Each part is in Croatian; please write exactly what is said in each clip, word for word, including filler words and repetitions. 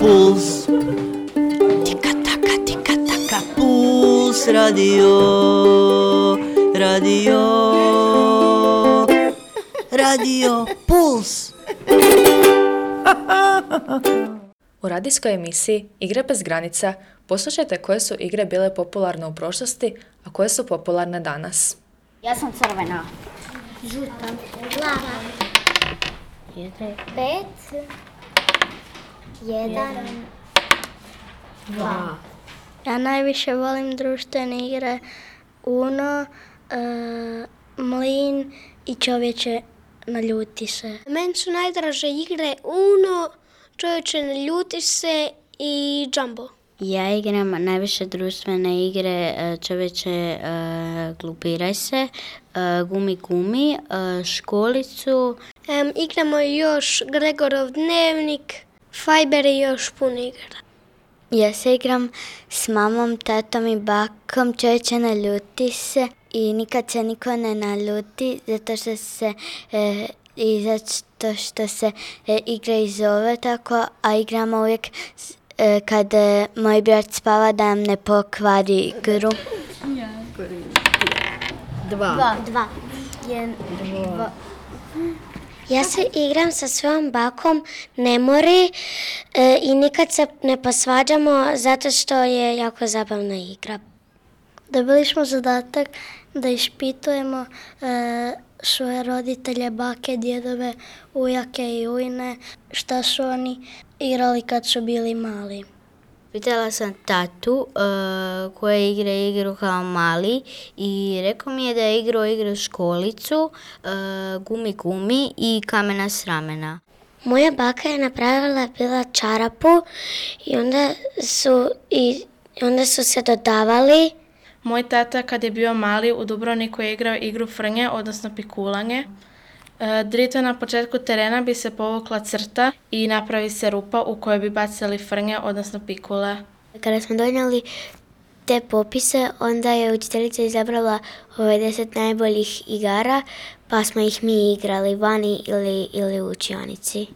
Puls. Tika taka, tika taka, Puls radio, radio, radio Puls. U radijskoj emisiji Igre bez granica poslušajte koje su igre bile popularne u prošlosti, a koje su popularne danas. Ja sam crvena. Žuta. Plava. Jedan. Pet. Jedan. Dva. Ja najviše volim društvene igre Uno, e, Mlin i Čovječe naljuti se. Meni su najdraže igre Uno, Čovječe naljuti se i Jumbo. Ja igram najviše društvene igre Čovječe glupiraj se, Gumi gumi, Školicu. Um, igramo još Gregorov dnevnik, Fiber i još puno igara. Ja se igram s mamom, tatom i bakom, Čovječe naljuti se i nikad se niko ne naljuti zato što se e, i zato što se e, igra i zove tako, a igramo uvijek e, kad e, moj brat spava da nam ne pokvari igru. Dva. Dva. Dva. Jedan, dva. Ja se igram sa svojom bakom, ne mori e, i nikad se ne posvađamo zato što je jako zabavna igra. Dobili smo zadatak da ispitujemo e, svoje roditelje, bake, djedove, ujake i ujne, šta su oni igrali kad su bili mali. Pitala sam tatu uh, koje igra igru kao mali i rekao mi je da je igrao igru Školicu, uh, Gumi gumi i Kamena s ramena. Moja baka je napravila bila čarapu i onda su, i onda su se dodavali. Moj tata kad je bio mali u Dubrovniku je igrao igru frnje, odnosno pikulanje. Drito na početku terena bi se povukla crta i napravi se rupa u kojoj bi bacili frnje, odnosno pikule. Kada smo donijeli te popise, onda je učiteljica izabrala ove deset najboljih igara, pa smo ih mi igrali vani ili, ili u učionici.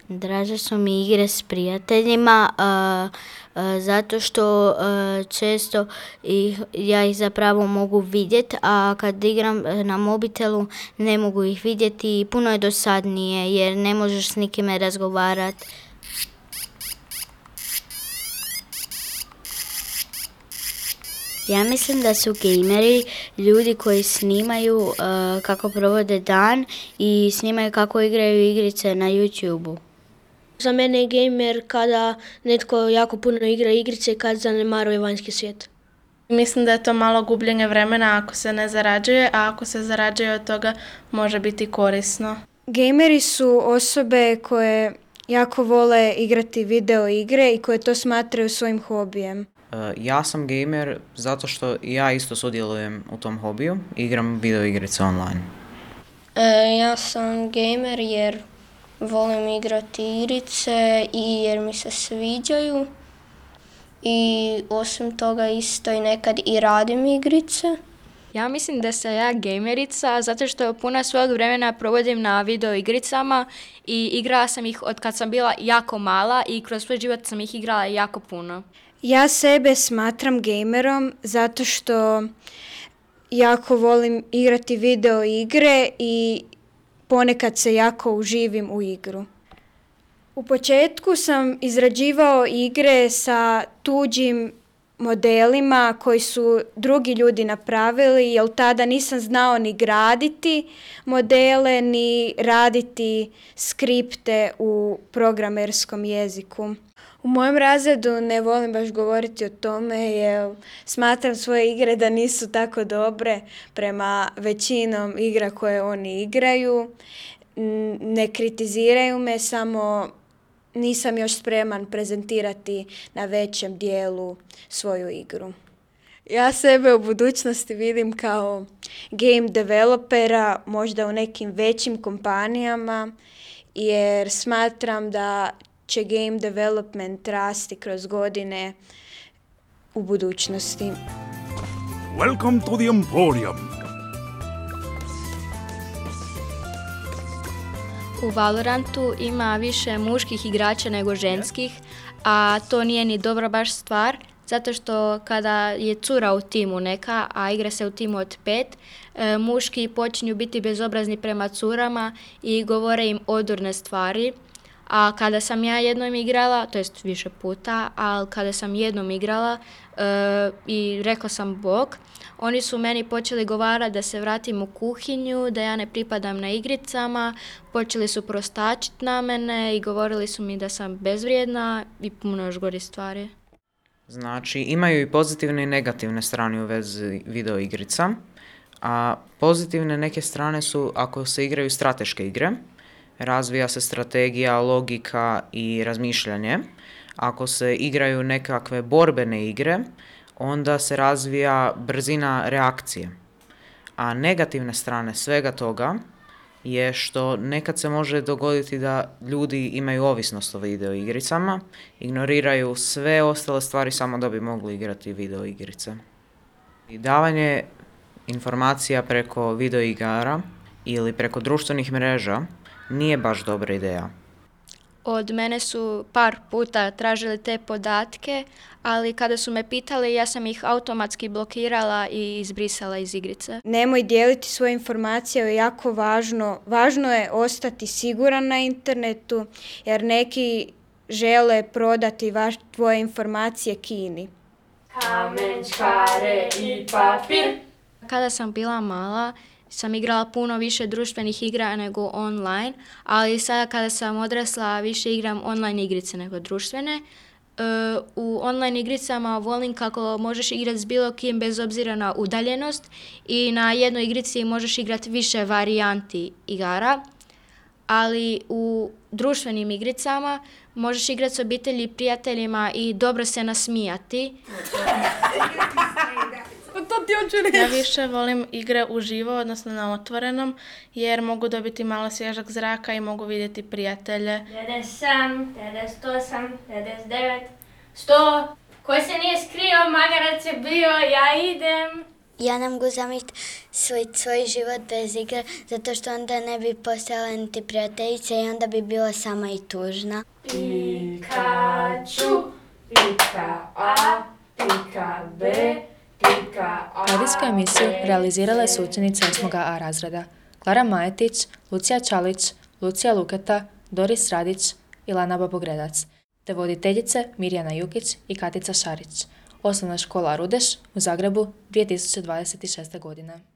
Draže su mi igre s prijateljima, uh, uh, zato što uh, često ih, ja ih zapravo mogu vidjeti, a kad igram na mobitelu ne mogu ih vidjeti i puno je dosadnije jer ne možeš s nikime razgovarati. Ja mislim da su gameri ljudi koji snimaju uh, kako provode dan i snimaju kako igraju igrice na YouTubeu. Za mene je gamer kada netko jako puno igra igrice i kad zanemaruje vanjski svijet. Mislim da je to malo gubljenje vremena ako se ne zarađuje, a ako se zarađuje od toga može biti korisno. Gameri su osobe koje jako vole igrati video igre i koje to smatraju svojim hobijem. Ja sam gamer zato što ja isto sudjelujem u tom hobiju, igram video igrice online. E, ja sam gamer jer volim igrati igrice i jer mi se sviđaju i osim toga isto i nekad i radim igrice. Ja mislim da sam ja gamerica zato što puno svog vremena provodim na video igricama i igrala sam ih od kad sam bila jako mala i kroz svoj život sam ih igrala jako puno. Ja sebe smatram gamerom zato što jako volim igrati video igre i ponekad se jako uživim u igru. U početku sam izrađivao igre sa tuđim modelima koji su drugi ljudi napravili, jer tada nisam znao ni graditi modele, ni raditi skripte u programerskom jeziku. U mojem razredu ne volim baš govoriti o tome jer smatram svoje igre da nisu tako dobre prema većinom igra koje oni igraju. Ne kritiziraju me, samo nisam još spreman prezentirati na većem dijelu svoju igru. Ja sebe u budućnosti vidim kao game developera, možda u nekim većim kompanijama, jer smatram da će game development rasti kroz godine u budućnosti. Welcome to the Emporium. U Valorantu ima više muških igrača nego ženskih, a to nije ni dobra baš stvar, zato što kada je cura u timu neka, a igra se u timu od pet, e, muški počinju biti bezobrazni prema curama i govore im odurne stvari. A kada sam ja jednom igrala, to jest više puta, ali kada sam jednom igrala e, i rekla sam bok, oni su meni počeli govarati da se vratim u kuhinju, da ja ne pripadam na igricama, počeli su prostačiti na mene i govorili su mi da sam bezvrijedna i puno još gori stvari. Znači, imaju i pozitivne i negativne strane u vezi video igrica, a pozitivne neke strane su ako se igraju strateške igre, razvija se strategija, logika i razmišljanje. Ako se igraju nekakve borbene igre, onda se razvija brzina reakcije. A negativne strane svega toga je što nekad se može dogoditi da ljudi imaju ovisnost o video igricama, ignoriraju sve ostale stvari samo da bi mogli igrati video igrice. I davanje informacija preko video igara ili preko društvenih mreža nije baš dobra ideja. Od mene su par puta tražili te podatke, ali kada su me pitali, ja sam ih automatski blokirala i izbrisala iz igrice. Nemoj dijeliti svoje informacije, je jako važno. Važno je ostati siguran na internetu, jer neki žele prodati vaš, tvoje informacije Kini. Kamen, čkare i papir. Kada sam bila mala, sam igrala puno više društvenih igra nego online, ali sada kada sam odrasla više igram online igrice nego društvene. E, u online igricama volim kako možeš igrati s bilo kim bez obzira na udaljenost i na jednoj igrici možeš igrati više varijanti igara, ali u društvenim igricama možeš igrati s obitelji i prijateljima i dobro se nasmijati. Ja više volim igre uživo, odnosno na otvorenom, jer mogu dobiti malo svježak zraka i mogu vidjeti prijatelje. devedeset sedam, devedeset osam, devedeset devet, sto. Ko se nije skrio, magarac je bio, ja idem. Ja ne mogu zamisliti svoj, svoj život bez igre, zato što onda ne bi postojala niti prijateljica i onda bi bila sama i tužna. Pikachu, pika A, pika B, Radijsku emisiju realizirale su učenice osmog A razreda Klara Majetić, Lucija Čalić, Lucija Luketa, Doris Radić i Lana Babogredac, te voditeljice Mirjana Jukić i Katica Šarić. Osnovna škola Rudeš u Zagrebu dvije tisuće dvadeset šeste. godine.